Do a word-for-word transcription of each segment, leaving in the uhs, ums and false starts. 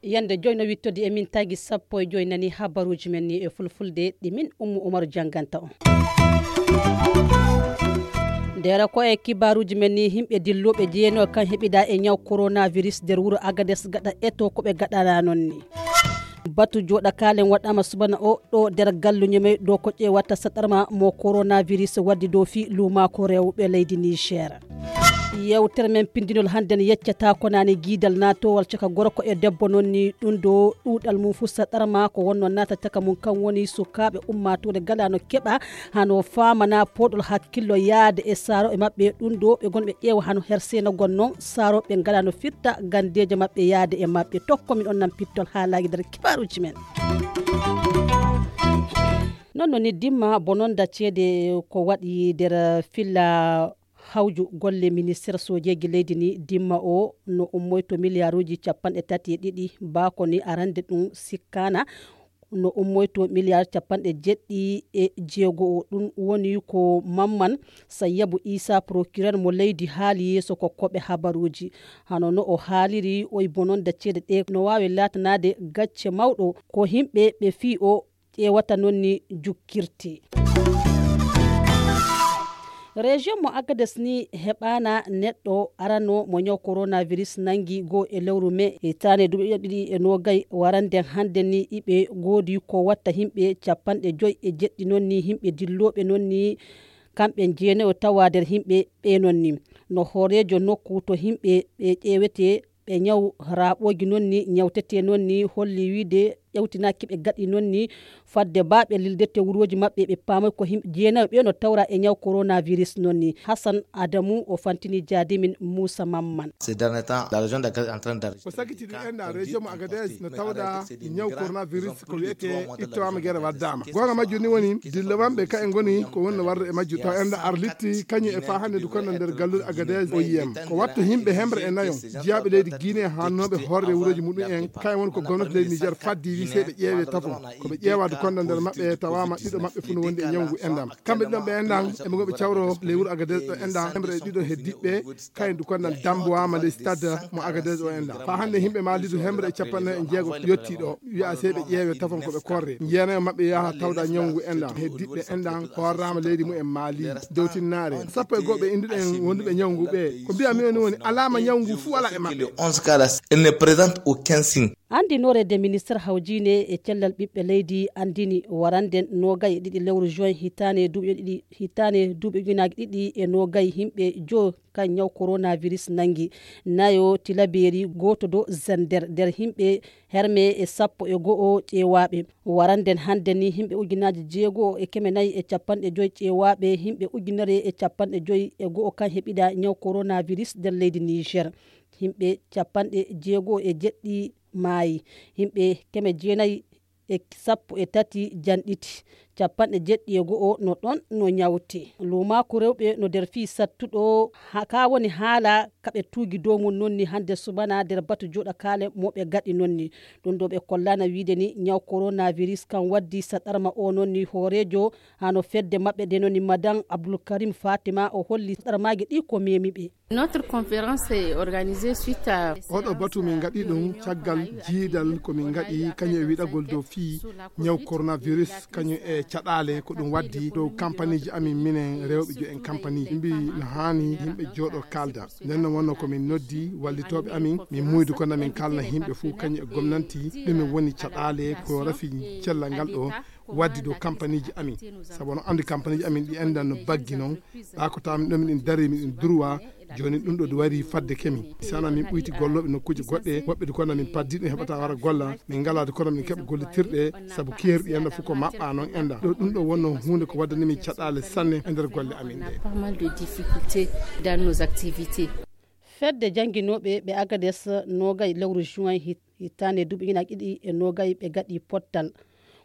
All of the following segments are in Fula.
Yande joyno wittodi e min tagi sappo e joy nani habaruji men ni e fulfulde ɗi min Ummu Umaru jannganta on. Ndera ko e kibaruji men ni, himɓe dilluɓe jeeno kan heɓida e ñaw coronavirus nder wuro Agades gaɗa eto ko ɓe gaɗana non ni. Batu joɗa kalen waɗama subana o ɗo nder gallu ñemey dow ko ƴeewata saɗarma mo coronavirus waddi dow fi lumako rewɓe leydi Niger. Yewtere men pindinol hannde ne yeccata ko nane giidal natowal caka gorko e debbo non ni ɗum ɗo ɗuɗal mum fu saɗarma ko wonno nata caka mum kan woni sukaɓe ummatore galano keɓa hano famana poɗol hakkillo yaade e saro e maɓɓe ɗum ɗo ɓe gonɓe ƴeewa hano hersena gonnon saroɓe galano firta gandeje maɓɓe yaade e maɓɓe tokko min on nan pittol haalaji nder kibaruji men. Non no ni dimma bononda ceede ko waɗi nder filla hawju golle ministeer sojeeji leydi ni dimma o no ummoyto miliyaruuji capanɗe tati e ɗiɗi baako ni arande ɗum sikkaana no ummoyto miliyar capanɗe jeɗɗi e jeego o ɗum woni ko mamman sayyabu isa procureur mo leydi haali yeeso ko koɓe habaruuji hano no o haaliri oy bononda ceede ɗe no waawi laatanaade gacce mawɗo ko himɓe ɓe fii o ƴeewata noon ni jukkirte. Région mo Agadez ni heɓaana neɗɗo arano mo ñaw coronavirus nangi goo e lewru mai hitaande duuɓi ɗiɗi e noogay warande hannde ni iɓe ngoodi ko watta yimɓe capanɗe joy e jeɗɗi noon ni yimɓe dillooɓe noon ni kamɓe jeenayo tawa nder yimɓe ɓe noon ni no hooreejo nokku to yimɓe ɓe ƴeewete ɓe ñaw raaɓooji noon ni ñawtetee noon ni holli wiide ƴawtinaaki ɓe gaɗi noon ni fadde baa ɓe lildete wurooji maɓɓe ɓe paamoy ko yimɓe jeenayo ɓe no tawra e ñaw coronavirus noon ni Hassan Adamu o fantini jaadimin Muusa Mamman. Ces derniers temps la région d'Agadez est en train d'enregistrer ko sakiti ɗum enda région mo Agadez no tawɗa ñaw coronavirus ko wiyete ittowama gere waddama gonga majjum ni woni dilla wamɓe ka e ngoni ko wonno warde e majjum taw enda arlitti kañum e fa hannde ndu konno nder galluɗe Agadez o yiyam ko watta yimɓe hemre e nayo jiyaaɓe leydi Guinée haannooɓe horre wuroji muɗum en kayen woni ko gomnati leydi Niger faddi wi sey ɓe ƴeewe tafon ko ɓe ƴeewa ndu konno nder maɓɓe tawama ɗiɗo maɓɓe fu no wondi e ñawngu endam kamɓe ɗiɗon ɓe endan eɓe goɓe cawro ley wuro Agadez ɗo enda hemre e ɗiɗo heddiɓɓe kayen ndu konno dambuwama ley stade mo Agadez o enda fa hannde yimɓe maali ndu hemre e capannayo e jeego yotti ɗo wiya sey ɓe ƴeewe tafon ko ɓe korre jeenayo maɓɓe yaha tawda ñawngu endan heddiɓɓe endan horrama leydi mumen maali dowtinnaare sappo e goɓe induɗen wonduɓe ñawngu ɓe ko mbiyami woni woni alama ñawngu fuu ala e maɓɓe. Onze cas, elle ne présente aucun signe. Andinoore de ministre hawjine e cellal ɓiɓɓe leydi andini warande noogay e ɗiɗi lewru juin hitaane duuɓi ɗiɗi hitaane duuɓi ujunaaji ɗiɗi e noogay yimɓe jo kan ñaw coronavirus nangi nayo tilaberi gooto do zender nder yimɓe herme e sappo e go'o ƴeewaaɓe waranden hannde ni yimɓe ujunaaji jeego'o e keme nayi e capanɗe joyi ƴeewaaɓe yimɓe ujunere e capanɗe joyi e go'o kan heɓida ñaw coronavirus nder leydi Niger yimɓe capanɗe jeego'o e jeɗɗi maayi yimɓe keme jeenayi e sappo e tati janɗiti capanɗe jeɗɗi e go'o no ɗon no ñawti luumaaku rewɓe no nder fii sattuɗo ka woni haala kaɓe tuugi dow mum nonni hannde subana nder batu joɗakaale moɓe gaɗi nonni ɗum ɗo ɓe kollana wiide ni ñaw coronavirus kan waddi saɗarma o nonni hooreejo hano fedde maɓɓe de nonni madan abdoulkarim fatima o holli saɗarmaaji ɗi ko memi ɓe. Notre conférence est organisée suite à oɗo batu min gaɗi ɗum caggal jiidal ko min gaɗi kañum e wiɗagol dow fii ñaw coronavirus kañum e caɗaale ko ɗum waddi dow kampaniji amin minen rewɓe jo en kampaniji mbi no haani yimɓe jooɗo kalda nden no wonno ko min noddi wallitooɓe amin min muydu kono min kalna yimɓe fuu kañum e gomnanti ɗumen woni caɗaale ko rafi cellal ngal ɗo waddi dow kampaniji amin sabu no andi kampaniji amin ɗi endan no baggi noon ɓa ko tamin ɗo miɗen dari miɗen durwa joni ɗum ɗo wari fadde kemi sana min ɓuyti golloɓe nokkuji goɗɗe woɓɓe du kono min paddi ɗum heɓata wara golla min ngala du kono min keɓa gollitirɗe sabu keerɗi enda fof ko maɓɓa noon enda ɗo ɗum ɗo wonno hunde ko waddani min caɗale sanne e nder golle amin ɗe. Pas mal de difficultés dans nos activités. Fedde jannginooɓe ɓe Agades noogay lewru juin hitaande duuɓi ujunaaji ɗiɗi e noogay ɓe gaɗi pottal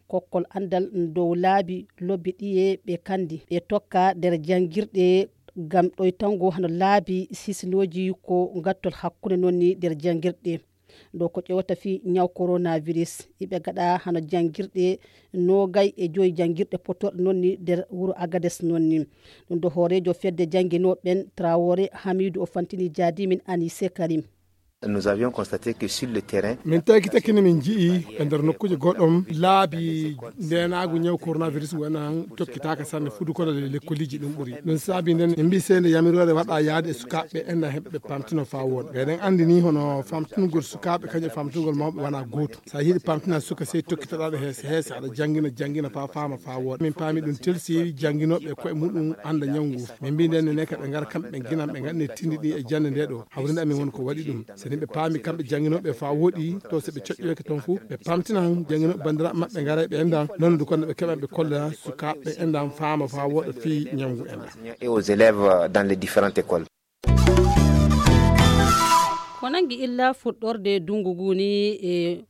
kokkol anndal dow laabi lobbi ɗiye ɓe kandi ɓe tokka nder janngirɗe ngam ɗoytango hano laabi sisinooji ko ngattol hakkunde noon ni nder janngirɗe Dow ko ƴewata fii ñaw coronavirus, iɓe gaɗa hano janngirɗe noogay e joyi janngirɗe pottorɗe noon ni nder wuro Agades noon ni. Ɗum ɗo hooreejo fedde jannginooɓe ɓen, Traoré Hamidou, o fantini jaadimin Anise Karim. Nous avions constaté que sur le terrain, min tawi ki takkine min nji'i e nder nokkuuje goɗɗom laabi ndenaagu ñaw coronavirus ngu enen tokkitaaka sanne fudu kono le lekkoliji ɗum ɓuri. Ɗum saabi nden en mbi seyde yamiroore waɗa yaade e sukaaɓe ɓe enda heɓɓe pamtino faa wooɗa. Ɓe eɗen anndi ni hono famtunugol sukaaɓe kañum e famtunugol mawɓe wona gootum. So a yiɗi pamtina suka sey tokkitoɗaa ɗo heese heese aɗa janngina janngina faa faama faa wooɗa. Min paami ɗum telsi jannginooɓe koye muɗum annda ñaw ngu. Min mbi nden ne ka ɓe ngara kamɓe ɓe nginan ɓe ngaɗni tindi ɗi e jannde nde ɗo. Hawrinde amin won ko waɗi ɗum. So ni ɓe paami kamɓe jannginooɓe faa wooɗi to so ɓe coƴƴoyke toon fof ɓe pamtinan jannginooɓe banndiraaɓe maɓɓe ngara ɓe enda noon ndu kono ɓe keɓan ɓe kolla sukaaɓe ɓe endan faama faa wooɗa fii ñaw ngu enda. Et aux élèves dans les différentes écoles. Ko nangi illa fuɗɗorde dungu ngu ni e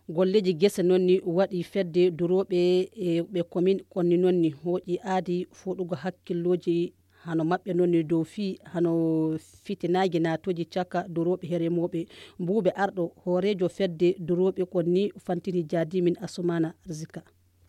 golleji gese noon ni waɗi fedde durooɓe e ɓe komin konni noon ni hooƴi aadi fuɗugo hakkillooji hano maɓɓe noon ni dow fii hano fitinaaji naatooji caka durooɓe e remooɓe. Buuɓe arɗo hooreejo fedde durooɓe kon ni fantini jaadimin Asumana Arzika.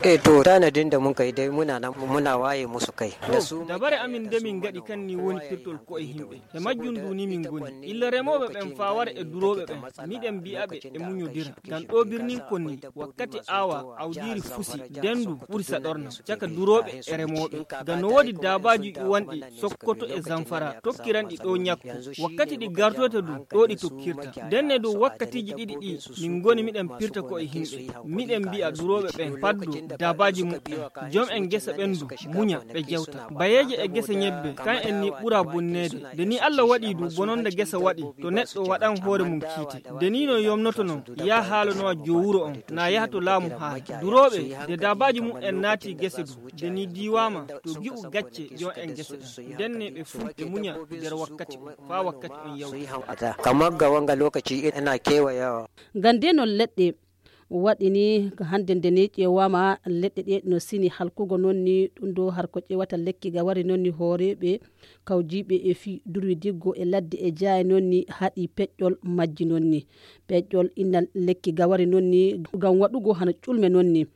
E to tanadin da mun kai dai muna nan muna waye musu kai da su. Dabare amin nde min ngaɗi kan ni woni pirtol ko'e yimɓe. E majjum ndu ni min ngoni. Illa remooɓe ɓen faa wara e durooɓe ɓen. Miɗen mbi'a ɓe e muñodira. Ngam ɗo birnin kon ni wakkati aawa awdiiri fusi, dendu ɓuri saɗorna caka durooɓe e remooɓe. Ngam no woodi daabaaji ƴuwanɗi Sokoto e Zamfara tokkiranɗi ɗo ñakku. Wakkati ɗi gartoyta du ɗo ɗi tokkirta. Ndenne dow wakkatiiji ɗiɗi ɗi min ngoni miɗen pirta ko'e yimɓe. Miɗen mbi'a durooɓe ɓen paddo daabaaji muɓɓen. Jom en gesa ɓen du muña ɓe jewta. Bayeeje e gesa ñebbe kan en ni ɓura bonneede. Nde ni Allah waɗi du bononde gesa waɗi to neɗɗo waɗan hoore mum kiite. Nde ni no yomnoto non yaa haalanowa jo wuro on na yaha to laamu haala. Durooɓe nde daabaaji muɓɓen naati gese du. Nde ni diiwaama to gi'u gacce jom en gese ɗen. Ndenne ɓe fuu ɓe muña nder wakkati on faa wakkati on yawti. Kamar ga wanga lokaci ina kewayawa. Ngam nde non leɗɗe waɗi ni hannde nde ni ƴeewaama leɗɗe ɗe no sini halkugo noon ni ɗum ɗo har ko ƴeewata lekki ga wari noon ni hooreeɓe kawjiiɓe e fii durwi diggo e ladde e jaaye noon ni haɗi peƴƴol majji noon ni. Peƴƴol inna lekki ga wari noon ni ngam waɗugo hano ƴulme noon ni.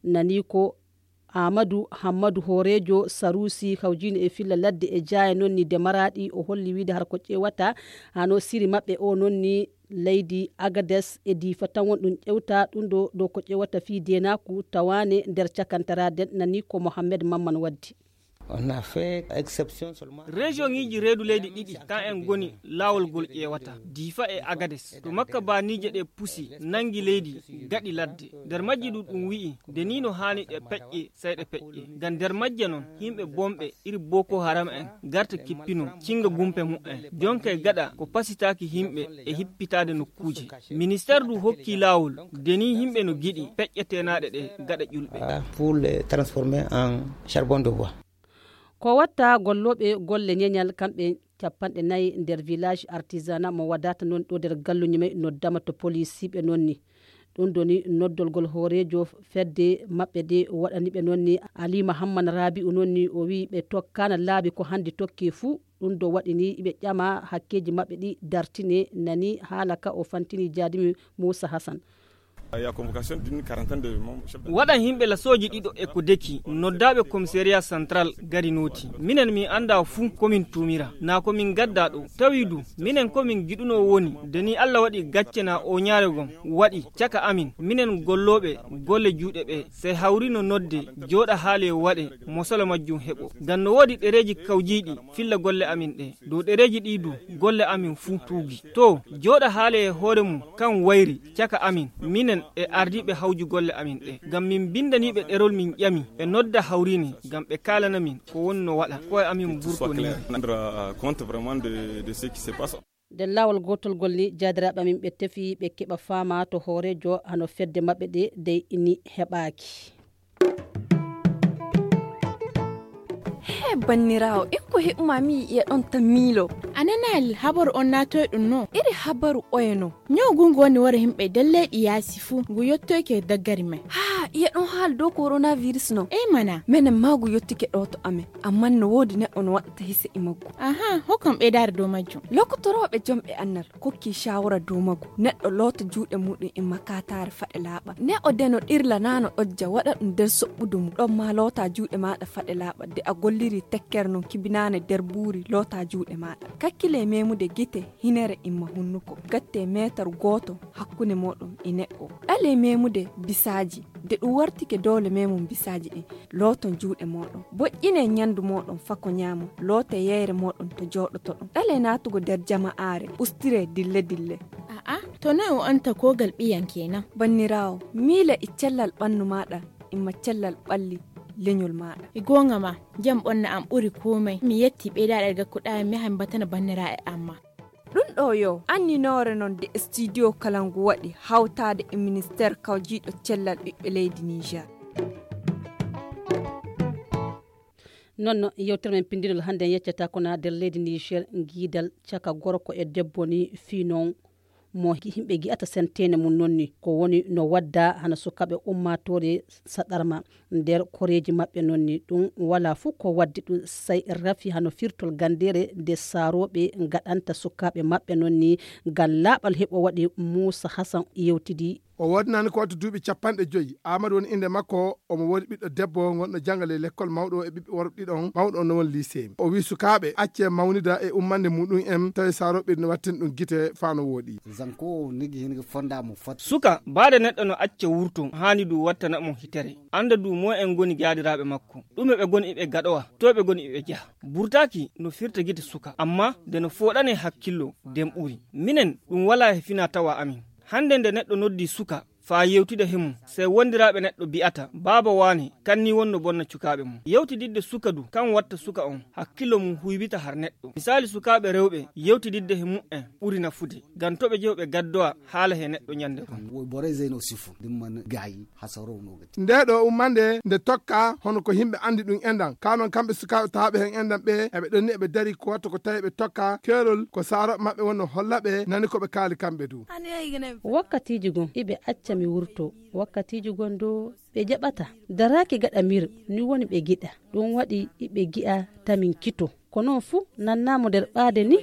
Nani ko Aamadu Hammadu hooreejo Saruusi kawjiino e filla ladde e jaaye noon ni de maraaɗi o holli wiide har ko ƴeewata hano siri maɓɓe o noon ni leydi Agades e Diifa tan won ɗum ƴewta ɗum ɗo ɗo ko ƴeewata fii deenaaku tawaane nder cakantaraden nani ko Mohammed Mamman waddi. On a fait exception seulement. Région ŋiiji reedu leydi ɗiɗi kan en ngoni laawol ngol ƴeewata Diifa e Agades to makka baaniije ɗe pusi nangi leydi gaɗi ladde nder majji ɗum ɗum wi'i nde ni no haani ɗe peƴƴe sey ɗe peƴƴe ngam nder majje non yimɓe bonɓe iri Boko Haram en garta kippino cinga gumpe muɓɓen jonka e gaɗa ko pasitaaki yimɓe e hippitaade nokkuuje. Ministeer du hokki laawol nde ni yimɓe no giɗi peƴƴe teenaaɗe ɗe gaɗa ƴulɓe. Pour les transformer en charbon de bois. Ko watta gollooɓe golle ñeñal kamɓe capanɗe nayi nder village artisanat mo wadata noon ɗo nder galluñi may noddama to police siɓe noon ni. Ɗum ɗo ni noddolgol hooreejo fedde maɓɓe de waɗani ɓe noon ni Alima Hamman Rabi'u noon ni o wi'i ɓe tokkaana laabi ko hannde tokki fuu. Ɗum ɗo waɗi ni iɓe ƴama hakkeeji maɓɓe ɗi dartine nani haala ka o fantini jaadimi Muusa Hasan. Waɗan yimɓe lasooji ɗiɗo e ko deki noddaaɓe komisariya santral gari nooti minen min annda fuu ko min tuumira naa ko min gadda ɗo tawi du minen ko min giɗuno woni de ni Allah waɗi gacce naa oñaare gom waɗi caka amin minen gollooɓe golle juuɗe ɓe sey hawrino nodde jooɗa haale waɗe mosolo majjum heɓo ngam no woodi ɗereeji kawjiiɗi filla golle amin ɗe dow ɗereeji ɗi du golle amin fuu tuugi to jooɗa haale e hoore mum kan wayri caka amin minen e ardiiɓe hawju golle amin ɗe ngam min mbindaniiɓe ɗerol min ƴami ɓe nodda hawrine ngam ɓe kaalana min ko woni no waɗa koye amin mburtonii. Nder laawol gootol ngol ni jaadiraaɓe amin ɓe tefi ɓe keɓa faama to hooreejo hano fedde maɓɓe ɗe dey ini heɓaaki. He banniraawo en ko heɓuma mi yi'iya ɗon tan miilo. A nanaali habaru on naatoy ɗum no iri habaru oye no? Ñaw ngu ngu woni wara yimɓe nder leyɗi yaasi fuu ngu yottoyke e daggari may. Haa Iya ɗon haali dow coronavirus non? Ey mana. Menen maagu yottike ɗo to amen, ammaa no woodi neɗɗo no waɗata hise e maggu. Aha, hokkam ɓeydaare dow majjum. Lokotorooɓe jomɓe annal kokki shawara dow maggu. Neɗɗo loota juuɗe muɗum e makataare faɗe laaɓa. Ne o deno ɗirla naa no ɗojja waɗa ɗum nder soɓɓudu mum. Ɗon maa loota juuɗe maaɗa faɗe laaɓa. De a golliri tekkere non kibinaane nder buuri loota juuɗe maaɗa. Kakkile memude gite, hinere imma hunnuko. Gatte meetar gooto hakkunde mooɗon e neɗɗo. Ɗale memude bisaaji. De ɗum wartike doole memum bisaaji ɗin. Looton juuɗe mooɗon. Boƴƴine nyandu mooɗon fako nyaamo. Loote yeyre mooɗon to jooɗotoɗon. Ɗale naatugo nder jama'aare. Ustire dille dille. A'a, to noy o anta kogal ɓiyan kenan? Banniraawo, miile e cellal ɓannu maaɗa, imma cellal ɓalli lenyol maaɗa. E goonga ma, jam ɓonna am ɓuri komai. Mi yetti ɓeydaɗe gakkuɗa mi han batana banniraaɓe amma. Ɗum ɗo yo anninoore non de studio kala ngu waɗi hawtaade e ministeer kawjiiɗo cellal ɓiɓɓe leydi Niger. Noon no yewtere men pinndinol hannde en yeccata ko na nder leydi Niger, ngiidal caka gorko e debbo ni fii noon mo yimɓe ngi'ata senteene mum noon ni ko woni no wadda hana sukaaɓe ummaatoore saɗarma nder koreeji maɓɓe noon ni. Ɗum walaa fof ko waddi ɗum say rafi hano firtol ganndeere nde saarooɓe ngaɗanta sukaaɓe maɓɓe noon ni. Ngam laaɓal heɓo waɗi Muusa Hasan yewtidi. O woodnani ko wattu duuɓi capanɗe joyi. Aamadu woni innde makko. Omo woodi ɓiɗɗo debbo ngonɗo jannga ley lekkol mawɗo e ɓiɓɓe worɓe ɗiɗon. Mawɗo on no woni lycée. O wi'i sukaaɓe accee mawnida e ummande muɗum en tawi saarooɓe no wattini ɗum gite faa no wooɗi. Zanko nigi hingi fonda mo fat. Suka baade neɗɗo no acca wurto haani du wattana mo hitere. Annda du mo en ngoni gaadiraaɓe makko. Ɗume ɓe ngoni iɓe gaɗowa to ɓe ngoni iɓe jaha. Burtaaki no firta gite suka amma nde no fooɗane hakkillo nden ɓuri. Minen ɗum walaa he fina tawa amin. Hannde nde neɗɗo noddi suka faa yewtida he mum sey wondiraaɓe neɗɗo bi'ata baaba waane kan ni wonno bonna cukaaɓe mum. Yewtididde suka du kan watta suka on hakkillo mum huywita har neɗɗo. Misaali sukaaɓe rewɓe yewtididde he mu'en ɓuri nafude ngam to ɓe jehu ɓe gaddowa haala he neɗɗo nyannde goo. Woy borey zeyno sifu ndimman gaayi hasaro no gati. Nde ɗo ummande nde tokka hono ko yimɓe anndi ɗum enɗan kanon kamɓe sukaaɓe tawaaɓe heen enɗan ɓe eɓe ɗonni eɓe dari ko watto ko tawi ɓe tokka keerol ko saarooɓe maɓɓe wonno holla ɓe nani ko ɓe kaali kamɓe du. Wakkatiiji gon iɓe acca mi wurto. Wakkatiiji gon du ɓe jaɓata daraaki gaɗa mir ni woni ɓe giɗa. Ɗum waɗi iɓe gi'a tamin kito ko noon fuu nannaamo nder ɓaade ni.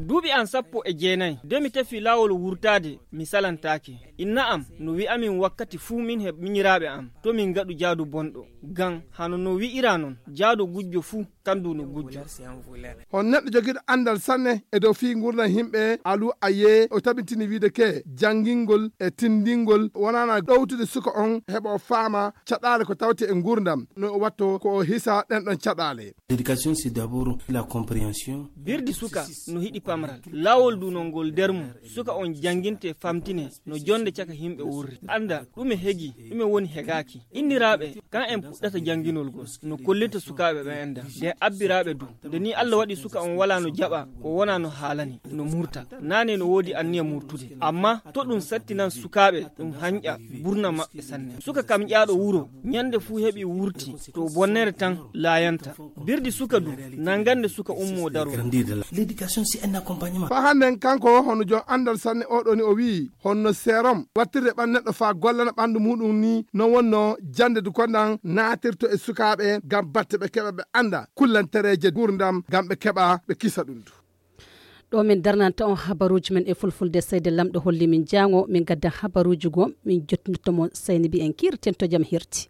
Duuɓi am sappo e jeenayi de mi tefi laawol wurtaade mi salantaake. Inna am no wi'amin wakkati fuu min he minyiraaɓe am to min ngaɗu jaadu bonɗo. Ngam hano no wi'ira non jaadu gujjo fuu kan du no gujjo. Hon neɗɗo jogiiɗo anndal sanne e dow fii ngurndan yimɓe alu a yee o tabintini wiide ke janngingol e tinndingol wonaana ɗowtude suka on heɓa o faama caɗaale ko tawti e ngurndan no o watto ko o hisa ɗen ɗon caɗaale. L'éducation c'est d'abord la compréhension. Birdi suka no hiɗi pamral laawol du no ngol nder mum suka on jannginte famtine no jonnde caka yimɓe wurri annda ɗume hegi ɗume woni hegaaki. Inniraaɓe kan en puɗɗata jannginol gol no kollita sukaaɓe ɓe enda nden abbiraaɓe du nde ni Allah waɗi suka on walaa no jaɓa ko wonaa no haalani no murta. Naane no woodi anniya murtude amma to ɗum sattinan sukaaɓe ɗum hanƴa burna maɓɓe sanne. Suka kam ƴaaɗo wuro nyannde fuu heɓi wurti to bonnere tan laayanta. Birdi suka du nanngande suka ummoo daroo. L'éducation c'est un accompagnement. Faa hannden kanko hono jom anndal sanne oɗo ni o wi'i honno seerom wattirde ɓanndu neɗɗo faa gollana ɓanndu muuɗum ni non wonno jannde du kondan naatirto e sukaaɓe ngam batte ɓe keɓa ɓe annda kullantereeje nguurndam ngam ɓe keɓa ɓe kisa ɗum du. Ɗo min darnanta on habaruuji men e fulfulde seyde lamɗo holli min jaango min gaddan habaruuji goo min jottinirto mon sayni mbiyen kiirten to jam hirti.